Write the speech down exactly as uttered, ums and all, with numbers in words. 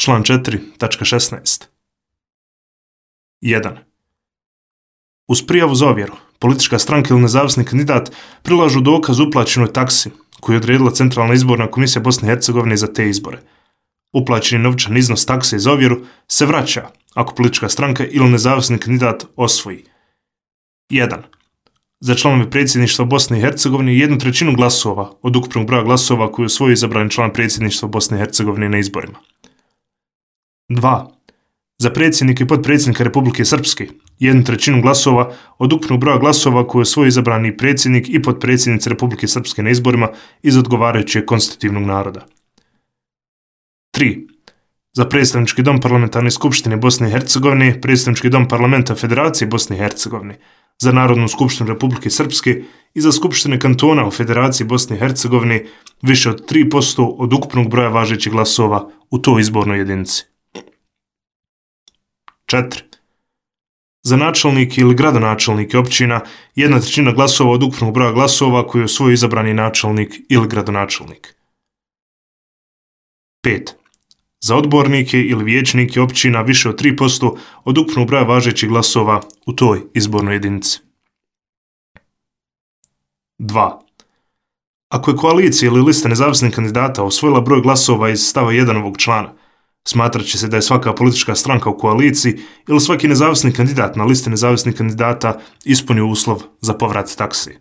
Član četiri tačka šesnaest. jedan. Uz prijavu za ovjeru, politička stranka ili nezavisni kandidat prilažu dokaz uplaćenoj taksi koju je odredila Centralna izborna komisija Bosne i Hercegovine za te izbore. Uplaćeni novčani iznos takse za ovjeru se vraća ako politička stranka ili nezavisni kandidat osvoji. jedan. Za članove predsjedništva Bosne i Hercegovine jednu trećinu glasova od ukupnog broja glasova koju osvoji izabrani član predsjedništva Bosne i Hercegovine na izborima. dva. Za predsjednika i potpredsjednika Republike Srpske jednu trećinu glasova od ukupnog broja glasova koju osvoji izabrani predsjednik i potpredsjednica Republike Srpske na izborima iz odgovarajućeg konstitutivnog naroda. tri. Za predstavnički dom parlamentarne skupštine Bosne i Hercegovine, predstavnički dom parlamenta Federacije Bosne i Hercegovine, za Narodnu skupštinu Republike Srpske i za skupštine kantona u Federaciji Bosne i Hercegovine više od tri posto od ukupnog broja važećih glasova u toj izbornoj jedinici. četiri. Za načelnike ili gradonačelnike općina jedna trećina glasova od ukupnog broja glasova koju osvoji izabrani načelnik ili gradonačelnik. pet. Za odbornike ili vijećnike općina više od tri posto od ukupnog broja važećih glasova u toj izbornoj jedinici. dva. Ako je koalicija ili lista nezavisnih kandidata osvojila broj glasova iz stava jedan ovog člana, smatrat će se da je svaka politička stranka u koaliciji ili svaki nezavisni kandidat na listi nezavisnih kandidata ispunio uslov za povrat taksi.